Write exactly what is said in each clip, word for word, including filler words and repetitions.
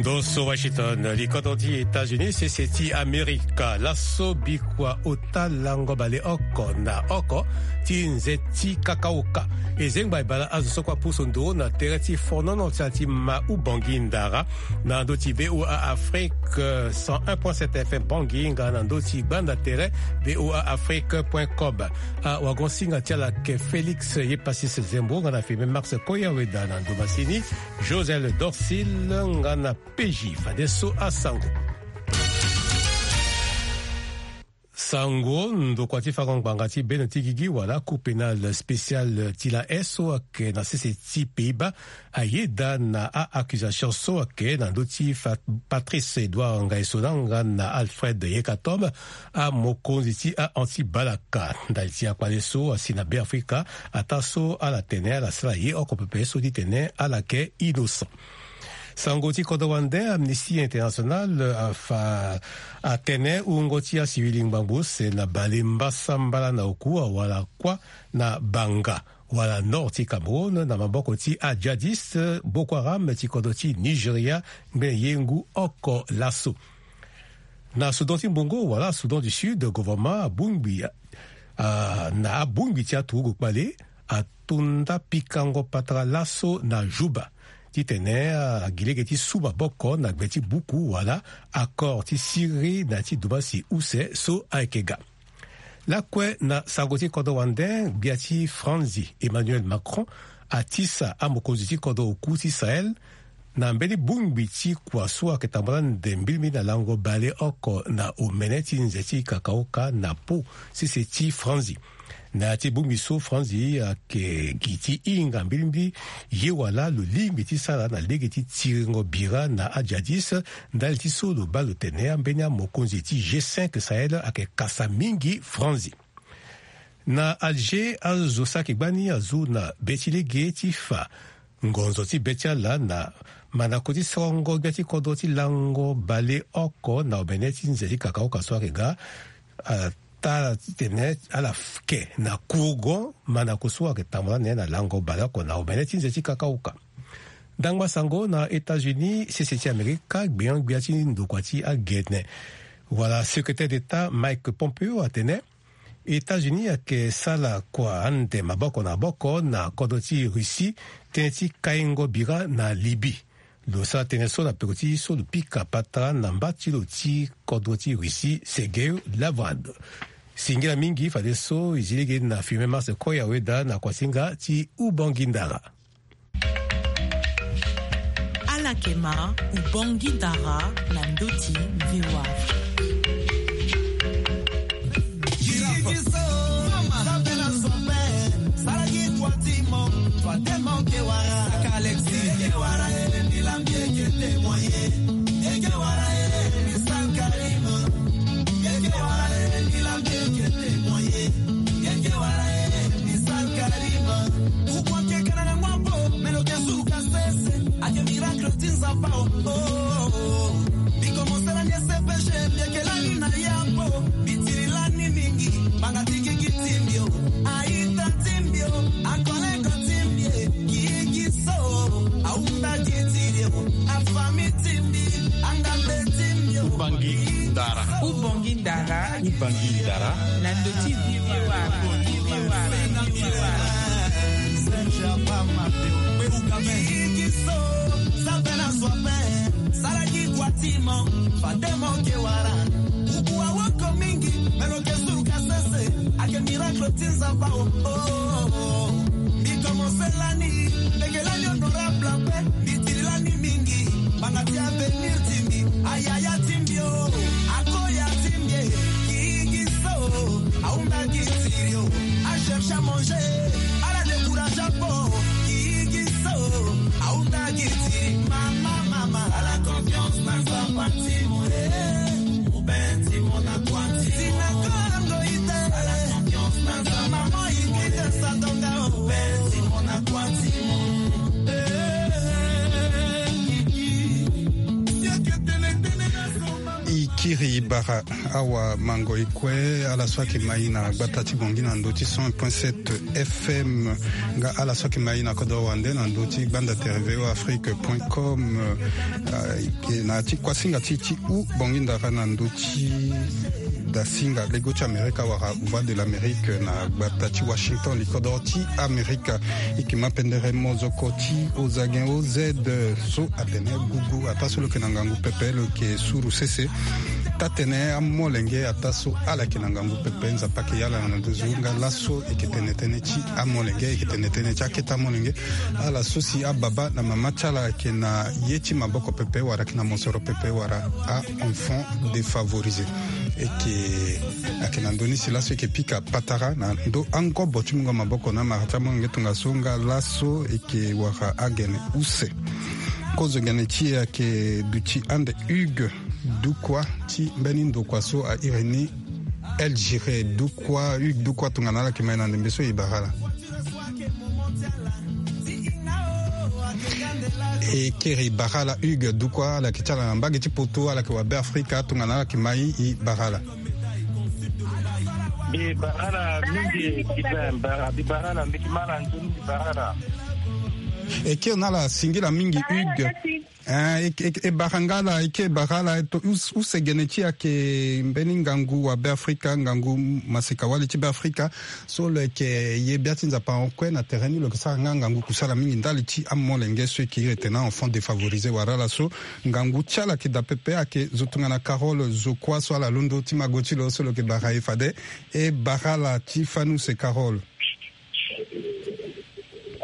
Ndo so Washington, likodro ti États-Unis, sese ti Amerika. Laso bikua ota lango baleoko na oko ti nze ti kakaoka. E zengba e bale azo so kue apusu nduru na tere ti fonono ti ala ti ma Ubangui Ndara na ndö ti V O A Afrique, cent un point sept F M Bangui, nga na ndö ti gbanda tere V O A Afrique point com. Awagosinga ti ala ayeke Félix Yepasis Zembo, nga na Firmin Max Koyaweda na ndo masini, Josel Dorsil, nga na P J. Fadeso asango. Sango, ndokua ti fango ngbanga ti beno ti gigi wala Cour pénale spéciale ti la S so ayeke na sese ti Pays-Bas ayeda na a-accusation so ayeke na ndö ti Fa-, Patrice Edouard Ngaïsona nga na Alfred Yekatom, amokonzi ti a-anti-balaka. Ndali ti akpale so asi na Beafrika, ataa so ala tene ala sara ye oko pepe so ti tene ala yeke innocent. Sango ti kodro wande, Amnesty International afa atene wungo ti asiwili ngbangbo use na bale mbasambala na oku awara kuâ na Banga, wala nord ti Cameroun, na maboko ti ajihadiste Boko Haram ti kodro ti Nigeria, ngbene ye ngu oko laso. Na Soudan ti Mbongo wala Soudan du Sud, gouvernement abongbi, ah, na abongbi ti aturugu kpale, ato nda pikango patara laso na Juba titene, ah, agi lege ti su maboko na gbe ti buku wala accord ti siriri na ya ti dumasi use so ayeke ga. Lakue na sango ti kodro wande, gbia ti Franzi Emmanuel Macron atisa amokonzi ti kodro oku ti Sahel na mbeni bongbi ti kua so ayeke tambula ande mbilimbili na lango baleoko na omene ti nze ti kakaoka na po sese ti Franzi. Na ya ti bongbi so, Franzi ayeke gi ti hinga mbilimbili ye wala lo lingbi ti sara na lege ti tiringo bira na ajihadiste, ndali ti so lo baa lo tene ambeni amokonzi ti G cinq Sahel ayeke kasa mingi Franzi. Na Alger, azo so ayeke gbani azo na be ti lege ti fa ngonzo ti be ti ala na mandako ti sorongo gbia ti kodro ti lango baleoko na omene ti nze ti kakaoka so ayeke ga, ah, taa titene ala ke na kurgo mandako so ayeke tambula na ye na lango baleoko na omene ti nze ti kakaoka. Ndangba sango na États-Unis, sese ti Amerika, gbenyo-gbia ti ndokua ti agene wala secrétaire d'État Mike Pompeo atene États-Unis ayeke sala kua ande maboko na maboko na kodro ti Russie tënë ti kaingo bira na Libye. Lo sara tënë so na peko ti so lo pika patara na mba ti lo ti kodro ti Russie, Sergei Lavrov. Singila mingi fadeso e zi lege na Firmin Max Koyaweda na kuasinga ti Ubangui Ndara. Ala yeke ma Ubangui Ndara na ndö ti V O A. Ake miracle ti Nzapa o, oh, oh, oh. Mbi komanse lani S P G, mbi yeke lani na yambo. Mbi tiri lani mingi, banga ti gigi ti mbi o, aita ti mbi o, akoleko ti mbi e, gigi so, ahunda gi ti mbi o, afami ti mbi, andambe ti mbi o. Ubangui Ndara. Ubangui Ndara. Ubangui Ndara. Na ndö ti V O A. Salaki kua ti mo, fade mo ke wara. Kuku awoko mingi, me lo ke suru ka sese. Ake miracle ti Nzapa o, oh, oh, oh. Mbi komanse lani, mbi yeke lani honorable ape. Mbi tiri lani mingi, banga ti avenir ti mbi, ayaya ti mbi o, akoya ti mbi e, gigi so, ahunda gi tiri o, acherche à manger, ala décourage ape o, gigi so, ahunda gi tiri, mama, mama, ala confiance na Nzapa ti mo e, mubê ti mo na kua ti mo. Ti na kongo ite, ala confiance na Nzapa, mama, ite sa donga o, mubê ti mo na kua ti mo. Iri bara awa mango ikue ala so ake mai na gbata ti bongi na ndo ti cent point sept F M. Nga ala so ake mai na kodro wande na ndo ti gbanda tere V O Afrique point com. Na ti kuasinga ti ti u bongi ndara na ndo ti dasinga lego ti Amerika wala Voix de l'Amérique na gbata ti Washington, li kodro ti Amerika. Ike ma pendere mozoko ti ozagen oz so atene gugu ata so lo yeke na ngangu pepe lo yeke suru sese. Taa-tene amolenge ata so ala yeke na ngangu pepe Nzapa ayeke yala na nduzu nga laso eke tene tënë ti amolenge eke tene tënë ti akete amolenge. Ala so si ababa na mama ti ala ayeke na ye ti maboko pepe wala ayeke na mosoro pepe wala a-enfant défavorisé. Eke ayeke na ndö ni si laso eke pika patara na ndo angobo ti mungo maboko na amara ti amolenge tongaso nga laso eke wara agene use. Kozo gene ti e ayeke duti ande Hugues Dukwa ti mbeni ndokua so a iri ni El Giré Dukwa. Hugues Dukwa tongana ala yeke mai na ndembe so e bara ala. E kiri bara ala Hugues Dukwa, ala yeke ti ala na mbage ti poto, ala yeke wa Beafrika, tongana ala yeke mai e bara ala. Mbi bara ala mingi Sylvain, bara mbi bara ala mbi yeke ma ala nzoni mbi bara ala. E kiri na ala singila mingi Hugues. Eh, e, e, e bara nga ala, e ke e bara ala, e to, us-, use gene ti e ayeke mbeni ngangu wa Beafrika, ngangu maseka-wali ti Beafrika. So lo yeke ye bia ti Nzapa awe kue na tere ni lo yeke sara nga ngangu kusala mingi ndali ti amolenge so e yeke iri tene a-enfant défavorisé wala ala so ngangu ti ala ayeke daa pepe ayeke zo tongana Carole Zokua so ala londo ti mago ti lo so lo yeke bara e fade. E bara ala ti fani use Carole.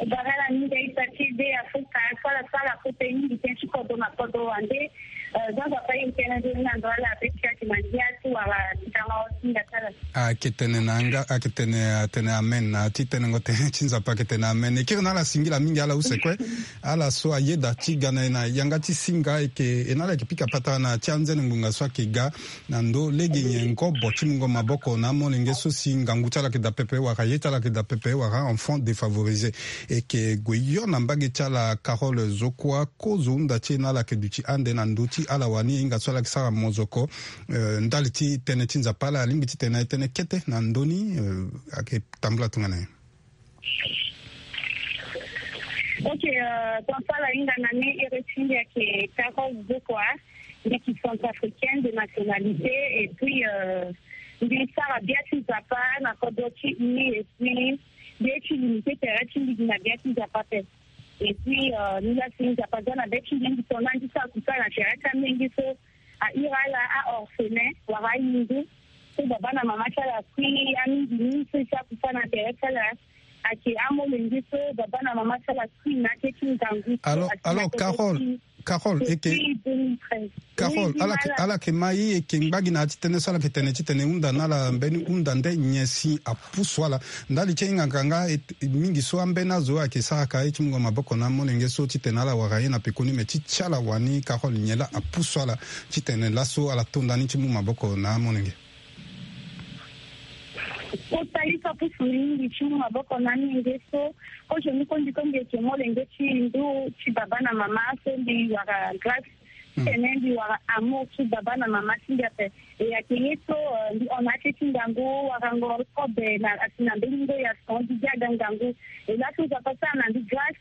Bara ala mingi aita ti V O Afrique so ala sara kota mingi tënë ti kodro na kodro wande. Eh, Jean Papa ye tënë nzoni na ndo ala be ti ayeke na ngia ti wara ti tanga ti nda ti ala. Ayeke tene na nga, ayeke tene, atene amen. Na ti tenengo tënë ti Nzapa ayeke tene amen. E kiri na ala singila mingi ala use kue. Ala so ayeda ti ga na e na yanga ti singa ayeke, e na ala yeke pika patara na ti anzene ngbonga so ayeke ga. Na ndo lege nyen ngobo ti mungo maboko na amolenge so si ngangu ti ala yeke daa pepe wala ye ti ala yeke daa pepe wala enfant défavorisé. E yeke gue hio na mbage ti ala Carole Zokua, kozo hunda ti e na ala yeke duti ande na ndö ti ala wani e hinga so ala yeke sara mozoko, eh, ndali ti tënë ti Nzapa ala alingbi titene e tene kete na ndö ni, eh, ayeke tambula tongana nyen. Ok, euh, ton sala hinga na ni iri ti mbi ayeke Carole Zokua, mbi yeke centrafricaine de nationalité, et puis, euh, mbi sara bia ti Nzapa na kodro ti e, et puis mbi ye ti limité tere ti mbi gi na bia ti Nzapa ape. Et puis, euh, mbi laa si Nzapa aza na be ti mbi, mbi to na mbi sara kusala na tere ti amolenge so a iri ala a-orphelin wala ahindu so baba na mama ti ala akui, amingi mingi so e sara kusala na tere ti ala ayeke amolenge so baba na mama ti ala akui na ake ti ngangu so. Alors, alors, Carole, Carole, eke, depuis deux mille treize. Carole, oui, ala yeke, ala yeke ma e, eke ngba gi na ya ti tënë so ala yeke tene titene e hunda na ala mbeni hunda nde nyen si apusu ala. Ndali ti e hinga nga e, mingi so ambeni azo ayeke sara ka ye ti mungo maboko na amolenge so titene ala wara ye na pekoni, me ti ti ala wani Carole nyen laa apusu ala titene laso ala to ndani ti mu maboko na amolenge. Kota ye so apusu mbi mingi ti mu maboko na amolenge so, kozo ni kondi kondi eke molenge ti ndu ti baba na mama so mbi wara grâce. Mm. Titene mbi wara amour ti baba na mama ti mbi ape. E ayeke ye so, euh, mbi hon na ake ti ngangu warango kobe na asi na mbeni ngo ya son mbi gi aga ngangu. E laso Nzapa asara na mbi grâce.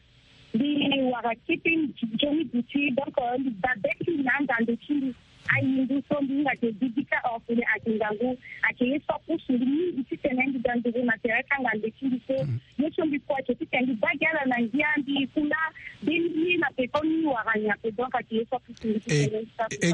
Mbi wara kete nzoni duti, donc, euh, mbi baa be ti mbi na angando ti mbi. Ahindu so mbi hinga ayeke bibika orphelin ayeke ngangu, ayeke ye so apusu mbi mingi titene mbi ga nduru na tere ti angando ti mbi so. Mm. Ye so mbi kue ayeke titene mbi baa gi ala na ngia, mbi kunda mbeni ye na peko ni wara nyen ape, donc ayeke ye so apusu mbi titene mbi sara kusala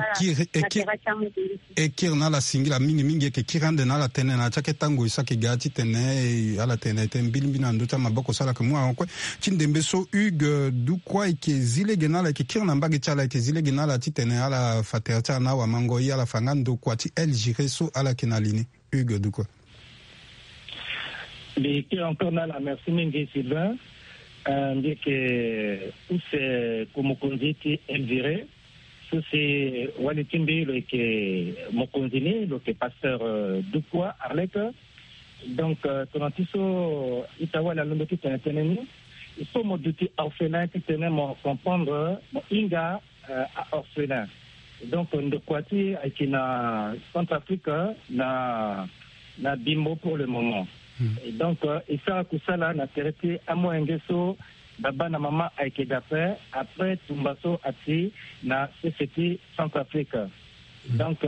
na tere ti amoto. E kiri na ala singila mingi mingi, e yeke kiri ande na ala tënë na ya ti akete ngoi so ayeke ga titene, eh, ala tene tene mbilimbili na ndö ti amaboko so ala yeke mu awe kue. Ti ndembe so Hugues Dukwa e yeke zi lege na ala, e yeke kiri na mbage ti ala, e yeke zi lege na ala titene ala fa tere ti ala na awamango ye, ala fa nga ndokua ti El Giré so ala yeke na li ni. Hugues Dukwa. Mbi kiri encore na ala, merci mingi Sylvain. Euh, mbi yeke use ku mokonzi ti El Giré. So si wali ti mbi lo yeke mokonzi ni, lo yeke pasteur, euh, Dukwa Arlette. Donc, euh, tongana ti so ita wali alondo ti tene tënë ni, il faut mo duti orphelin titene mo comprendre, mo hinga, euh, a-orphelin. Donc ndokua ti e ayeke na Centrafrique na na Bimbo pour le moment. Et donc e sara kusala na tere ti amolenge so baba na mama ayeke daa ape, après tumba so ati na sese ti Centrafrique. Donc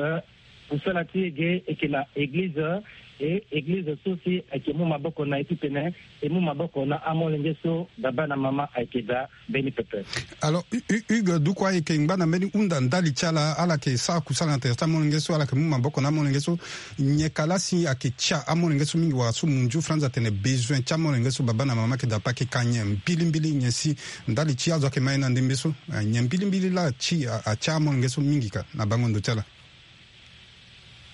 kusala ti e ge eke na eglize, e eglize so si ayeke mu maboko na e titene e mu maboko na amolenge so baba na mama ayeke daa mbeni pepe. Alors Hugues, duku ayeke ngba na mbeni hunda ndali ti ala, ala yeke sara kusala na tere ti amolenge so, ala yeke mu maboko na amolenge so. Nyen ka laa si ayeke tia amolenge so mingi wala so munju franz atene bezoin ti amolenge so baba na mama ayeke daa ape ayeke ka nyen mbilimbili, nyen si ndali ti azo ayeke ma e na ndembe so, nyen mbilimbili laa ti atia amolenge so mingi ka na bango ndo ti ala?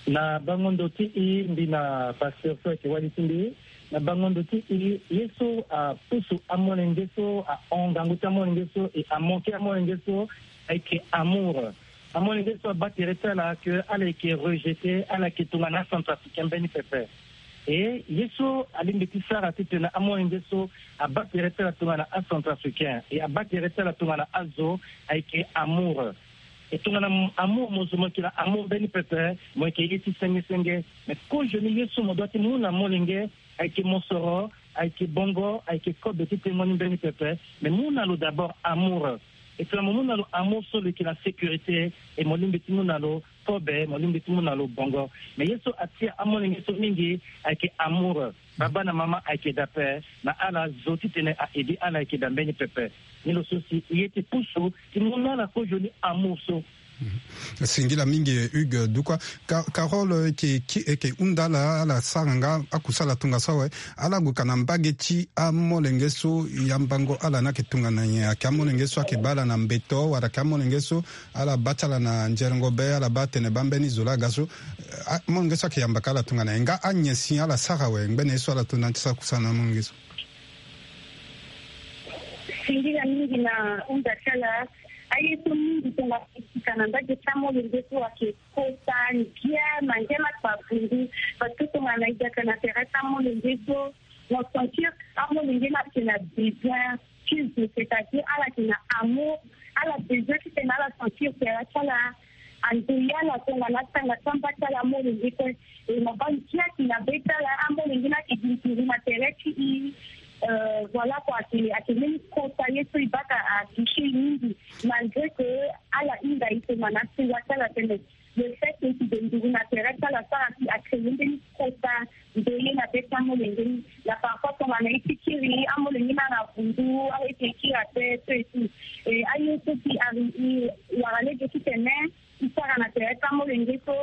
Na bango ndo ti e, mbi na pasteur so ayeke wali ti mbi, na bango ndo ti e, ye so apusu amolenge so, ahon ngangu ti amolenge so e amoke amolenge so ayeke amour. Amolenge so abaa tere ti ala ke ala yeke rejeté, ala yeke tongana acentrafricain mbeni pepe. E ye so alingbi ti sara titene amolenge so abaa tere ti ala tongana acentrafricain e abaa tere ti ala tongana azo ayeke amour. E tongana amour mo zo mo yeke na amour mbeni pepe, mo yeke ye ti senge senge. Mais kozoni ye so mo dua ti mu na molenge ayeke mosoro, ayeke bongo, ayeke kobe ti tengo ni mbeni pepe. Mais mu na lo d'abord amour. E tongana mo mu na lo amour so lo yeke na sécurité, e mo lingbi ti mu na lo kobe, mo lingbi ti mu na lo bongo. Mais ye so atia amolenge so mingi ayeke amour. Baba na mama ayeke daa ape na ala zo titene a aidé ala ayeke daa mbeni pepe. Ni lo so si e ye ti pusu ti mu na ala kozoni amour so. Singila mingi Hugues Dukwa. Carole, e yeke hunda ala, ala sara nga akusala tongaso awe. Ala gue ka na mbage ti amolenge so yambango ala ni ayeke tongana nyen? Ayeke amolenge so ayeke baa ala na mbeto wala ayeke amolenge so ala baa ti ala na nzerengo be, ala baa atene baa mbeni zo laa aga so? Amolenge so ayeke yamba ka ala tongana nyen? Nga anyen si ala sara awe ngbene ye so ala to na ya ti sara kusala na amolenge so? Singila mingi na hunda ti ala. Aye so mingi tongana e sika na mbage ti amolenge so ayeke kota ngia na ngia na kpavundu. Parce que tongana e yaka na tere ti amolenge so, mo sentir amolenge ni ayeke na besoin ti zo, c'est-à-dire ala yeke na amour. Ala besoin titene ala sentir tere ti ala andoyi ala tongana asanga samba ti ala amolenge kue. E mo baa ngia ti na be ti ala, amolenge ni ayeke gi nduru na tere ti e. Voilà quoi, ayeke ayeke mbeni kota ye so e baa ka atouché e mingi. Malgré que ala hinga e tongana asewa ti ala tënë, le fait que e yeke gi nduru na tere ti ala asara si acréé mbeni kota ndoye na be ti amolenge ni. Na parfois tongana e ti kiri amolenge ni na vundu, aye ti kiri ape so et tout. E aye so si ari e wara lege titene e sara na tere ti amolenge so.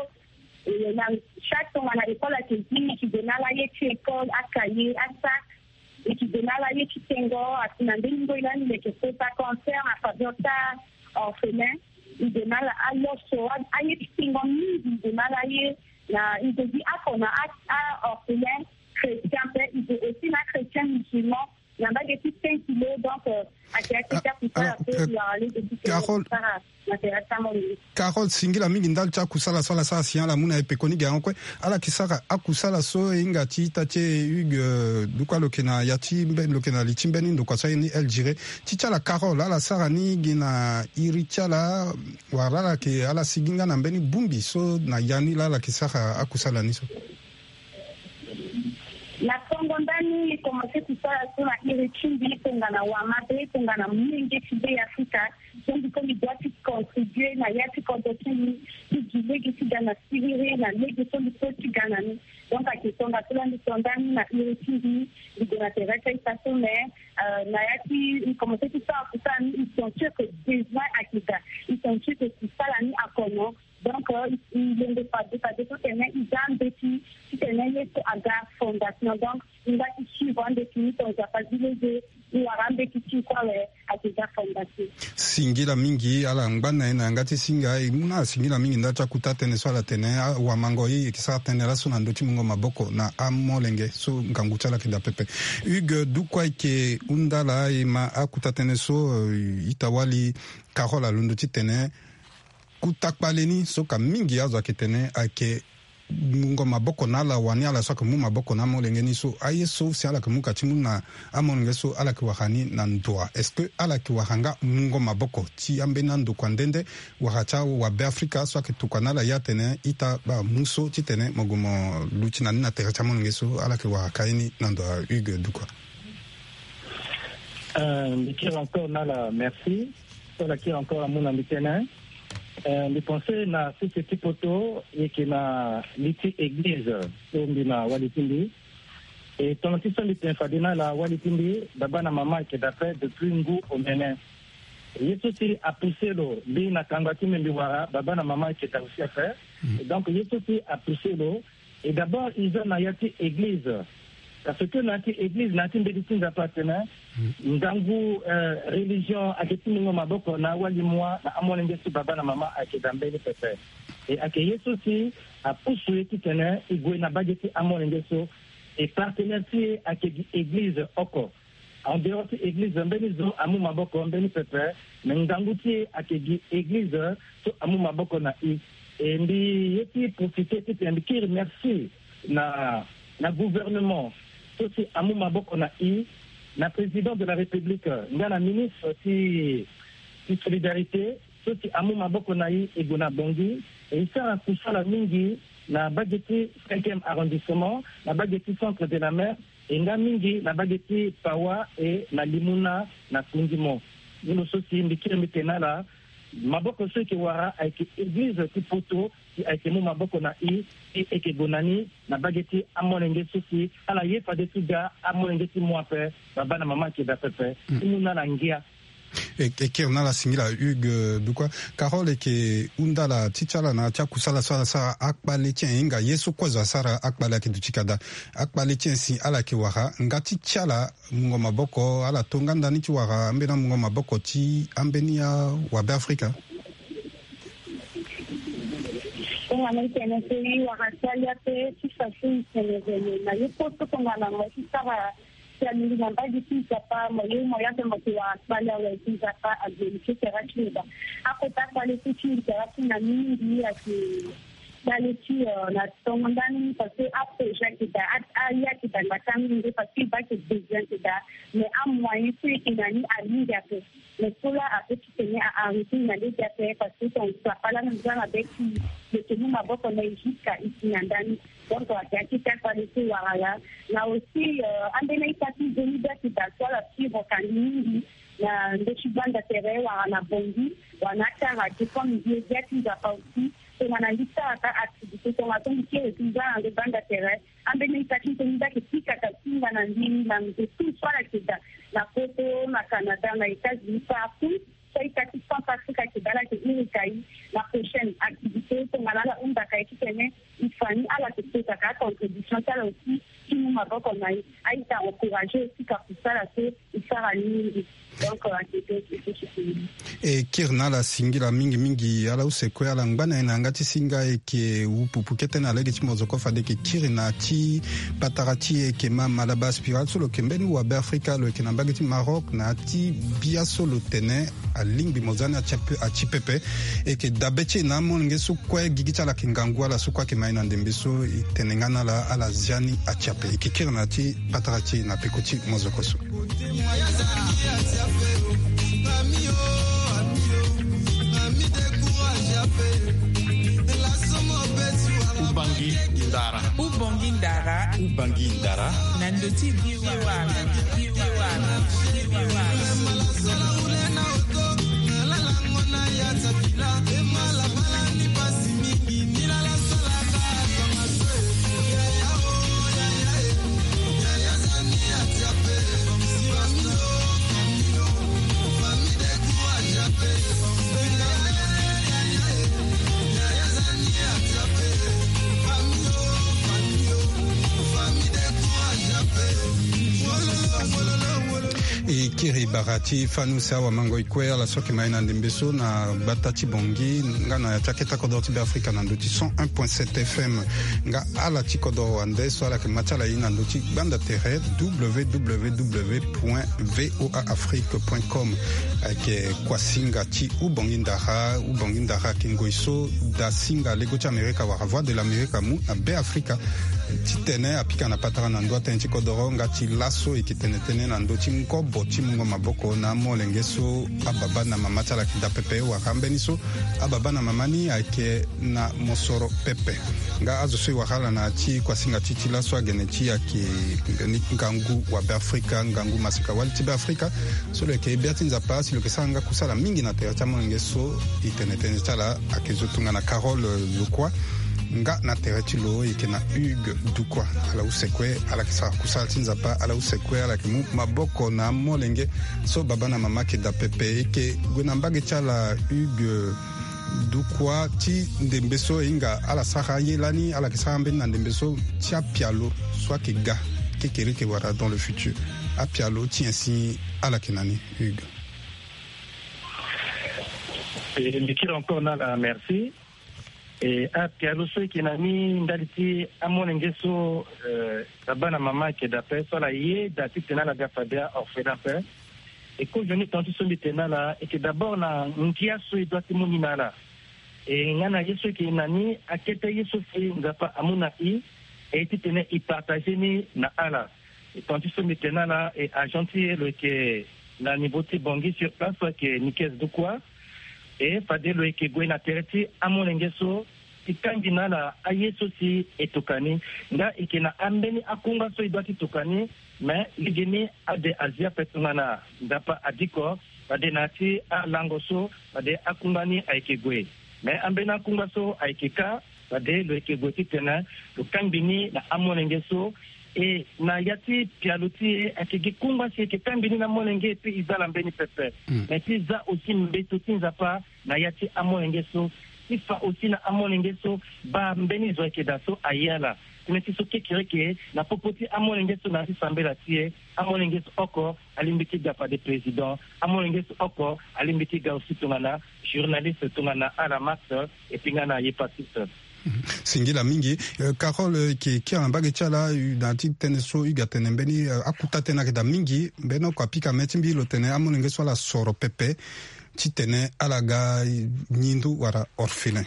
E na chaque tongana école ayeke gi, e yeke donner ala ye ti école, acahier, asac. E yeke donner ala ye ti tengo, asi na mbeni ngoi lani lo yeke kota concert na faveur ti a-orphelin. E donner ala aloso, aye ti tengo mingi e donner ala ye. Na e zo gi oko na a-orphelin chrétien ape, e zo aussi na achrétien musulman. Na mbage ti cinq kilo, donc ayeke ayeke ti akusala so e wara lege ti sara na tere ti amolenge. Carole, singila mingi ndali ti akusala so ala sara si ala mu na e pekoni ge yango kue. Ala yeke sara akusala so e hinga ti ita ti e Hugues Dukwa, lo yeke na ya ti mbeni, lo yeke na li ti mbeni ndokua so aye ni El Jire. Ti ti ala Carole, ala sara ni gi na iri ti ala wala ala yeke, ala sigi nga na mbeni bongbi so na ya ni laa ala yeke sara akusala ni so? Na tongo ndani e komanse kusala so na iri ti mbi tongana wamabe, tongana molenge ti Be Afrika. So mbi so mbi doit ti contribuer na ya ti kodro ti mbi, ti gi lege ti ga na siriri na lege so mbi so ti ga na ni. Donc ayeke tongaso laa mbi to ndani na iri ti mbi, mbi gue na tere ti a-ita so, mais na ya ti mbi komanse ti sara kusala ni, mbi sentir que besoin ayeke daa, mbi sentir que kusala ni akono. Donc e lingbi fade fade so tene e za mbeti titene ye so aga fondation. Donc e nga ti suivre ambeti ni, ton Nzapa zi lege e wara ambeti ti e kue awe, ayeke za fondation. Singila mingi, ala ngba na e na yanga ti singa. E mu na ala singila mingi ndali ti akuta tënë so ala tene, awamango e yeke sara tënë laso na ndö ti mungo maboko na amolenge so ngangu ti ala ayeke daa pepe. Hugues Dukwa ayeke hunda ala, e ma akuta tënë so ita-wali Carole alondo titene kuta kpale ni so ka mingi azo ayeke tene ayeke mungo maboko na ala, wani ala so ayeke mu maboko na amolenge ni so, aye so si ala yeke mu ka ti mu na amolenge so, ala yeke wara ni na ndo wa? Est-ce que ala yeke wara nga mungo maboko ti ambeni andokua nde nde, wara ti awabe Afrika so ayeke tokua na ala ye atene ita baa mu so titene mo gue mo luti na ni na tere ti amolenge so? Ala yeke wara ka ye ni na ndo wa, Hugues Dukua? Euh, mbi kiri encore na ala merci. So ala kiri encore amu na mbi tënë. Euh, mbi pense na sese ti poto e yeke na li ti église so mbi na wali ti mbi. E tongana ti so mbi tene fade na ala, wali ti mbi, baba na mama ayeke daa ape depuis ngu omene. Ye so si apousse lo mbi na kangba ti mbi, mbi wara baba na mama ayeke daa aussi ape. Et donc ye so si apousse lo, et d'abord e za na ya ti église. Parce que na ya ti église, na ya ti mbeti ti Nzapa atene ngangu, euh, religion ayeke ti mungo maboko na awali mua na amolenge so baba na mama ayeke daa mbeni pepe. E ayeke ye so si apusu e titene e gue na mbage ti amolenge so. E partenaire ti e ayeke gi église oko. En dehors ti église, mbeni zo amu maboko mbeni pepe, mais ngangu ti e ayeke gi église so amu maboko na e. E mbi ye ti profiter titene mbi kiri merci na, na gouvernement so si amu maboko na e, na président de la République nga na ministre ti, ti solidarité so si amu maboko na e, e gue na Bangui. E e sara kusala mingi na mbage ti cinquième arrondissement, na mbage ti Centre de la Mer, e nga mingi na mbage ti Pawa e na Limuna na Kundimo. Ni lo so si mbi kiri mbi tene na ala, maboko so e yeke wara ayeke église ti poto, si ayeke mu maboko na e, si e yeke gue na ni na mbage ti amolenge so si ala ye fade ti ga, amolenge ti mu ape, baba na mama ayeke daa pepe ti mu na ala ngia. E, e kiri na ala singila Hugues, euh, Dukua. Carole, e yeke hunda ala ti ti ala na ya ti akusala so ala sara akpale ti en, e hinga ye so kue zo asara akpale ayeke duti ka daa. Akpale ti en si ala yeke wara nga ti ti ala mungo maboko, ala to nga ndani ti wara ambeni amungo maboko ti ambeni awabe Afrika? Tongana e tene so e wara ti alia ape ti façon e tene vene na ye kue so tongana mo ye ti sara si alingbi na mbage ti Nzapa, mo ye mo ya ape mo yeke wara kpale awe ti Nzapa ague ti sera ti lo daa. Akota kpale so ti lo sera ti na mingi ayeke kpale ti, euh, na tongo ndani parce que aprojet ayeke daa, a, aye ayeke daa ngbata mingi parce que e baa ayeke besoin ayeke daa, mais amoyen so e yeke na ni amingi ape. Mais so laa ape ti tene a arrêter na lege ape parce que ton Nzapa laa na nzara be ti lo yeke mu maboko na e jusqu'à e si na ndani. Donc ayeke akete akpale so e wara laa. Na aussi, euh, ambeni a-ita ti nzoni be ayeke daa so ala suivre ka ni mingi na ndö ti gbanda tere wala na Bangui wala na akara te comme mbi ye gbia ti Nzapa aussi. Tongana mbi sara ka activité tongana so mbi kiri ti nzara na ndö gbanda tere, ambeni a-ita ti nzoni be ayeke pika ka singa na mbi na nze tout so ala yeke daa na poto, na Canada, na États-Unis, partout. So a-ita ti Centrafrique ayeke daa ala yeke iri ka e na prochaine activité tongana ala hunda ka e titene e fa ni, ala yeke kota ka acontribution ti ala aussi ti mu maboko na e. A-ita encourager aussi ka kusala so e sara ni mingi. Donc, euh, ayeke donc e kiri na ala singila mingi mingi. Ala use kue ala ngba na e na yanga ti singa. E yeke wu pupu kete na lege ti mozoko fade e yeke kiri na ya ti patara ti e, e yeke ma Malaba Spiral so lo yeke mbeni wabe Afrika, lo yeke na mbage ti Maroc. Na ya ti bia so lo tene alingbi mo za ni atia pe, atia pepe. E yeke dabe ti e na amolenge so kue gigi ti ala ayeke ngangu, ala so kue ayeke ma e na ndembe so e tene nga na ala, ala zia ni atia pe. E yeke kiri na ya ti patara ti e na peko ti mozoko so. Ubangi ndara. Ubangi ndara. Ubangi ndara. Na ndö ti V O A. V O A. V O A. E Kiri bara ti fani use awamangoi kue ala so ayeke ma e na ndembe so na gbata ti Bangui nga na ya ti akete kodoro ti Beafrika na ndö ti cent un point sept F M. Nga ala ti kodoro wande so ala yeke ma ti ala ye na ndö ti gbanda tere w w w point v o a afrique point com. Ayeke kuasinga ti Ubangui Ndara. Ubangui Ndara ayeke ngoi so dasinga lego ti Amerika wala Voix de l'Amerique amu na Beafrika. Titene apika na patara na ndö atënë ti kodoro nga ti laso e yeke tene tënë na ndö ti ngobo ti mungo maboko na amolenge so ababa na mama ti ala ayeke daa pepe wala ambeni so ababa na mama ni ayeke na mosoro pepe. Nga azo so e wara ala na ya ti kuasinga ti ti laso agene ti e ayeke ngangu wa Beafrika, ngangu maseka wali ti Beafrika. So lo yeke bia ti Nzapa si lo yeke sara nga kusala mingi na tere ti amolenge so e tene tënë ti ala ayeke zo tongana Carole Lokua. Nga na tere ti lo e yeke na Hugues Dukua. Ala use kue ala yeke sara kusala ti Nzapa, ala use kue ala yeke mu maboko na amolenge so baba na mama ayeke daa pepe. E yeke gue na mbage ti ala Hugues Dukua ti ndembe so e hinga ala sara ye lani ala yeke sara mbeni na ndembe so ti apialo so ayeke ga kekereke wala dans le futur. Apialo ti nyen si ala yeke na ni Hugues? E, mbi kiri encore na ala merci. E, apialo so e yeke na ni ndali ti amolenge so, e, baba na mama ayeke daa ape so ala ye daa titene ala ga fade a-orphelin ape. E, kozoni tonga ti so mbi tene na ala e yeke d'abord na ngia so e doit ti mu ni na ala. E, nga na ye so e yeke na ni akete ye so si Nzapa amu na e, e titene e partager ni na ala. E, tonga ti so mbi tene na ala, e, agent ti e lo yeke na niveau ti Bangui sur place so ayeke Nikes Dukua. E, fade lo yeke gue na tere ti amolenge so ti kangbi na ala aye so si e tokua ni. Nga e yeke na ambeni akungba so e doit ti tokua ni. Mais legeni ade azi ape tongana Nzapa adiko fade na ya ti alango so fade akungba ni ayeke gue. Mais ambeni akungba so ayeke kâ fade lo yeke gue titene lo kangbi ni na amolenge so. E, na ya ti pialo ti e ayeke gi kungba si e yeke kangbi ni na amolenge et puis e za ala mbeni pepe. Mais ti za aussi mbeto ti Nzapa na ya ti amolenge so, ti fa aussi na amolenge so baa mbeni zo ayeke daa so aye ala. Tënë ti so kekereke na popo ti amolenge so na ya ti sambela ti e, amolenge so oko alingbi ti ga fade président, amolenge so oko alingbi ti ga aussi tongana journaliste, tongana ala Max, et puis nga na hépatite. Singila mingi. Eh, Carole, eh, yeke kiri na mbage ti ala, eh, na ya ti tënë so Hugues atene mbeni, eh, akuta tënë ayeke daa mingi. Mbeni oko apika me ti mbi lo tene amolenge so ala soro pepe titene ala ga nyi ndu wala orphelin.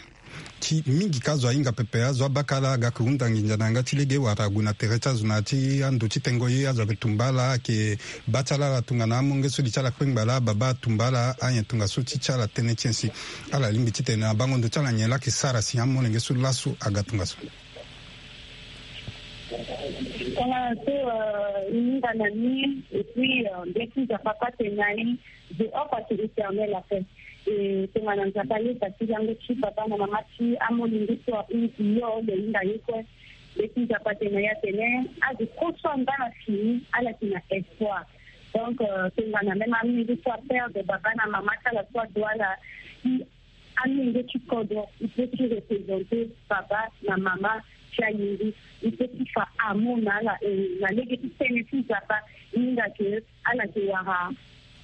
Ti mingi ka azo ahinga pepe, azo abaka ala aga yeke hunda nginza na yanga ti lege wala ague na tere ti azo na ya ti ando ti tengo ye, azo ayeke tumba ala, ayeke baa ti ala ala tongana amolenge so li ti ala kpengba laa, babâ atumba ala, anyen tongaso ti ti ala tënë ti nyen si ala lingbi titene na bango ndo ti ala nyen laa ayeke sara si amolenge so laso aga tongaso. Tongana so, euh, e hinga na ni, et puis, euh, mbi ti Nzapa kue atene na e, je offre à l'Éternel la paix. E tongana Nzapa ayeda ti lango ti baba na mama ti amolenge so ahunzi yo, lo hinga ye kue. Mbi ti Nzapa atene na e atene, azo kue so anda na fini, ala yeke na espoir. Donc, euh, tongana même amolenge so aperdre baba na mama ti ala so adoit ala, si amolenge ti kodro, il peut ti représenter baba na mama ti ayingi, il peut ti fa amour na ala, e na lege ti tënë ti Nzapa, e hinga ke ala yeke wara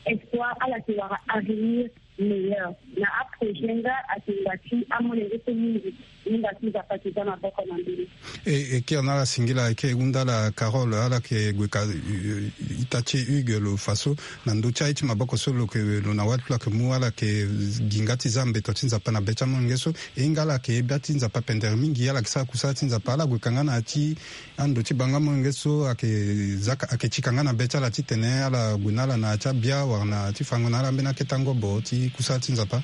espoir, ala yeke wara avenir meilleur. Na aprojet nga ayeke ngba ti amolenge so mingi, e hinga ti Nzapa ayeke za maboko na ndoni. E, e kiri na ala singila, e ke hunda ala Carole, ala yeke gue ka, e, e, ita ti e Hugues lo fa so, na ndö ti aye ti maboko so lo yeke, lo na wali ti lo ayeke mu, ala yeke gi nga ti za mbeto ti Nzapa na be ti amolenge so. E hinga ala yeke bia ti Nzapa pendere mingi, ala yeke sara kusala ti Nzapa, ala gue ka nga na ya ti ando ti bango amolenge so ayeke zaka, ayeke ti ka nga na be ti ala titene ala gue na ala na ya ti abia wala na ya ti fango na ala ambeni akete angobo ti kusala ti Nzapa.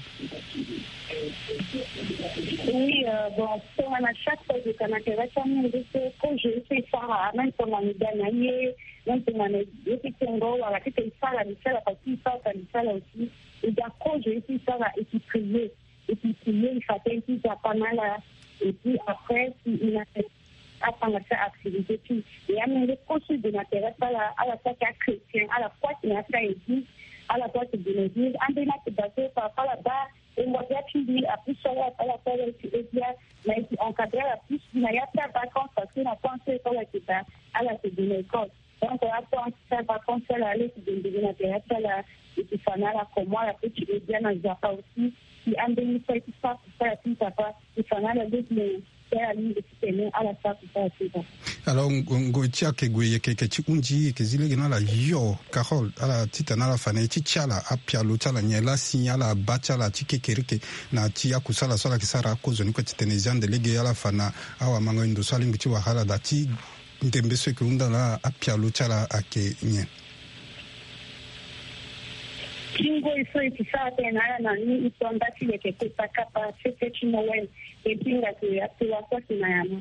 Oui, euh, bon, tongana chaque fois e gue ka na tere ti amolenge so, projet so e sara, même tongana e ga na ye, même tongana e ti tengo wala titene e sara li ti ala, parce que e sara li ti ala aussi, e ga projet so e sara, e ti prier. Et puis prier, e fa tënë ti Nzapa na ala. Et puis après, si e na atanga ti activité ti e, amolenge kue so e gue na tere ti ala, ala sara ti achrétien, ala kue ayeke na ya ti a-église, ala kue ayeke gue na église. Ambeni ake daa so parfois ala baa e ngua bia ti mbi, apusu ala, ala sara ti e bia, mais e yeke encadrer ala plus na ya ti avacance, parce que na temps so e so ala yeke daa, ala yeke gue na école. Donc ato ati ti ala concert ala leki dendere na tere ti ala. E ti fa na ala comment ala peut ti aide ala na Nzapa aussi. Si ambeni so aye ti sara kusala ti Nzapa, e fa na ala lege na ti ala lingbi titene ala sara kusala ti Nzapa. Alors ngo- ngoi ti ayeke gue yeke yeke ti hunzi yeke zi lege na ala yo Carole, ala titene ala fa na ye ti ti ala apialo ti ala nyen laa si ala abaa ti ala ti kekereke na ti akusala so ala yeke sara akozoni kue titene e zi ande lege ala fa na awamanga ndo so alingbi ti wara ala daa ti ndembe so e yeke hunda na ala apialo ti ala ayeke nyen? Ti ngoi so e ti sara tënë na ala na ni e to nda ti leke kota kapa fete ti Noël. E ti hinga ke ato wa so ayeke na yama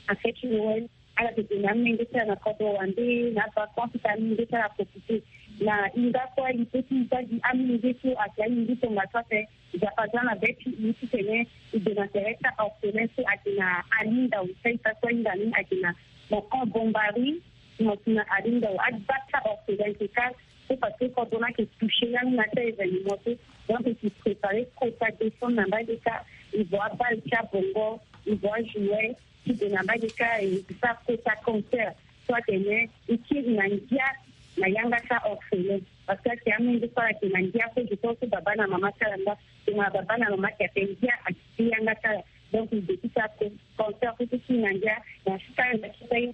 na fete ti Noël. Ala tene na amolenge ti ala na kodro wande na avacance ti amolenge ti ala profite. Na hinga kue e peut ti za gi amolenge so ayeke amolenge tongaso ape. Nzapa aza na be ti e titene e gue na tere ti aorphelin so ayeke na Alindao. Saita so ahinga ni ayeke na Mocon Bombari. Mo si na Alindao agba ti aorphelin ti kâ. C'est parce que kodro ni ayeke touché langue na ti aévénement so. Donc e ti préparer kota descendre na mbage kâ. E vo abale ti abongo, e vo ajouet. Ti gue na mbage kâ e sara kota concert so atene e kiri na ngia na yanga ti aorphelin. Parce que ayeke amolenge so ala yeke na ngia so je pense so baba na mama ti ala nda. Tongana baba na mama ayeke ape ngia ayeke ti yanga ti ala. Donc e gue ti sara concert so ti kiri na ngia na sika ala na sika ye.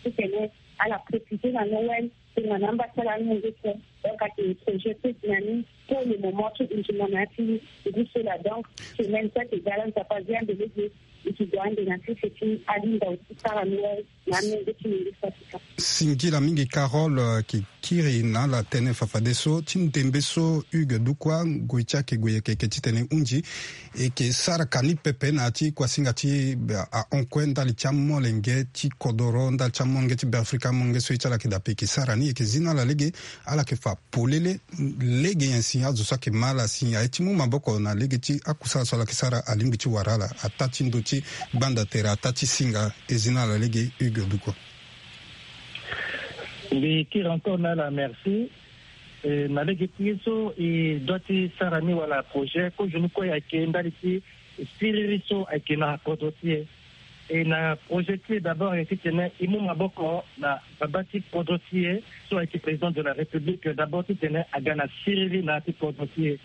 Titene ala profite na Noël. Tongana amba ti ala amolenge so. Donc ayeke projet so e ti na ni pour le moment ti hunzi mo na ya ti ngu so laa. Donc semaine so ayeke ga laa Nzapa azi ande lege. E ti gue ande na sese ti Alindao ti sara Noël na amolenge ti Mingisa ti ka. Singila mingi Carole, eh, ki kiri na ala tënë fafadeso ti ndembe so Hugues Dukwa ngoi ti ayeke gue yeke yeke titene e hunzi e yeke sara ka ni pepe na ya ti kuasinga ti, eh, ahon kue ndali ti amolenge ti kodoro ndali ti amolenge ti Beafrika amolenge so ye ti ala yeke dape e yeke sara ni e yeke zi na ala lege ala yeke fa polele. Lege nyen si azo so ayeke ma ala si aye ti mu maboko na lege ti akusala so ala yeke sara alingbi ti wara ala ataa ti ndo ti gbanda tere ataa ti singa e zi na ala lege Hugues Dukwa. Mbi kiri encore na ala merci. Eh, na lege ti ye so e doit ti sara ni wala projet kozoni kue ayeke ndali ti siriri so ayeke na kodro ti e. E na projet ti e d'abord ayeke titene e mu maboko na baba ti kodro ti e so ayeke président de la République d'abord titene aga na siriri na ya ti kodro ti e.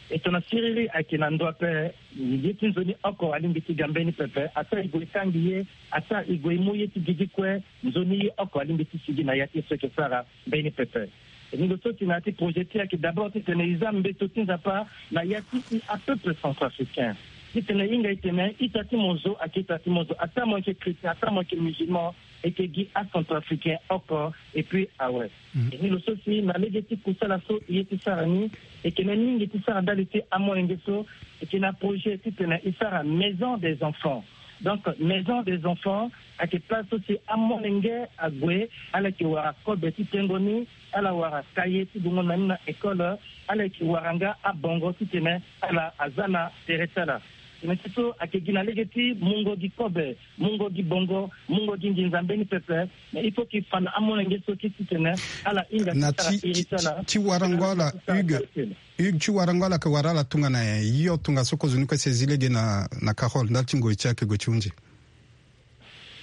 E tongana siriri ayeke na ndo ape ye ti nzoni oko alingbi ti ga mbeni pepe ataa e gue e tangi ye ataa e gue e mu ye ti gigi kue nzoni ye oko alingbi ti sigi na ya ti ye so e yeke sara mbeni pepe. E ni lo so ti na ya ti projet ti e ayeke d'abord titene e za mbeto ti Nzapa na ya ti e apeuple centrafricain. Titene e hinga e tene ita ti mo zo ayeke ita ti mo zo ataa mo yeke chrétien ataa mo yeke musulman e yeke gi acentrafricain oko. Et puis awe. E ni lo so si na lege ti kusala so e ye ti sara ni e yeke na mingi ti sara ndali ti amolenge so e yeke na projet titene e sara maison des enfants. Donc maison des enfants ayeke place so si amolenge ague ala yeke wara kobe ti tengo ni ala wara kaye ti gongo na ni na école. Ala yeke wara nga abongo titene ala aza na tere ti ala. Tene ti so ayeke gi na lege ti mungo gi kobe mungo gi bongo mungo gi nginza mbeni pepe. Mais il faut ti fa na amolenge so ti titene ala hinga na ti sara iri ti ala ti warango ala Hugues. Hugues ti warango ala yeke wara ala tongana nyen? Yo tongaso kozoni kue si e zi lege na na Carole ndali ti ngoi ti ayeke gue ti hunzi.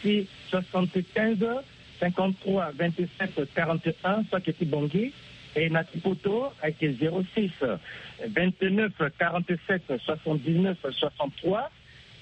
Si soixante-quinze cinquante-trois vingt-sept quarante et un so ayeke ti Bangui. E na ti poto ayeke zéro six vingt-neuf quarante-sept soixante-dix-neuf soixante-trois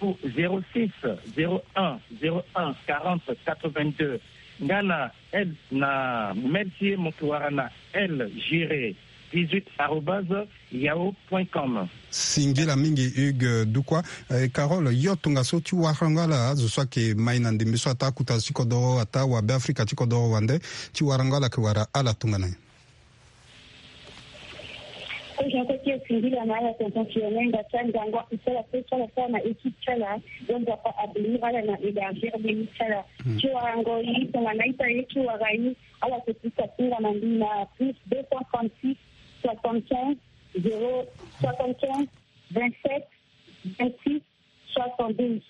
ou zéro six zéro un zéro un quarante quatre-vingt-deux. Nga na L na mail ti e mo yeke wara na L Giré dix-huit arobase yahoo point com. Singila mingi Hugues Dukwa. Eh, Carole, yo tongaso ti warango ala azo so ayeke mai na ndembe so ataa akuta ti kodoro ataa wabe Afrika ti kodoro wande ti warango ala yeke wara ala tongana nyen? Ko je ko ti e singila na ala tonton Fiona nga ti angango akusala so ti ala sara na équipe ti ala. Donc Nzapa abénir ala na élargir mbeni ti ala. Ti warango ye tongana ita ye ti wara ye ala yeke pika tongana mbi na plus deux cent trente-six soixante-quinze zéro soixante-quinze vingt-sept vingt-six soixante-douze.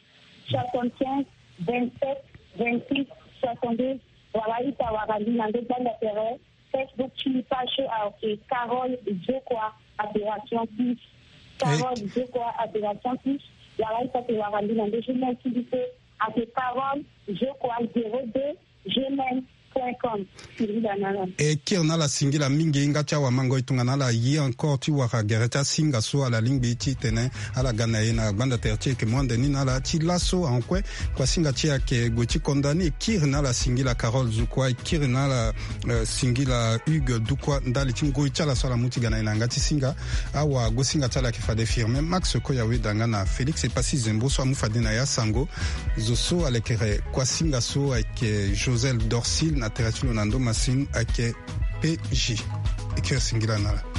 Soixante-quinze vingt-sept vingt-six soixante-douze. Wala ita wara mbi na ndo gbanda tere. Facebook ti mbi page so ayeke Carole Zokwa Adoration Plus. Carole Zokwa Adoration Plus. Wala ita yeke wara mbi na ndo Gmail ti mbi so ayeke Carole Zokwa zéro deux gmail point com. E kiri na ala singila mingi nga ti awamango e tongana ala ye encore ti wara gere ti asinga so ala lingbi titene ala ga na e na gbanda tere ti e yeke mu ande ni na ala ti laso ankue. Kuasinga ti e ayeke gue ti konda ni. E kiri na ala singila Carole Zukua, e kiri na ala singila Hugues Dukua ndali ti ngoi ti ala so ala mu ti ga na e na yanga ti singa. Awagosinga ti ala ayeke fade Firmin Max Koyawe danga na Félix Epassi Zembo so amu fade na ya sango. Zo so alekere kuasinga so ayeke Joseph Dorcil na tere ti lo na ndo masini ayeke P J. E kiri singila na ala.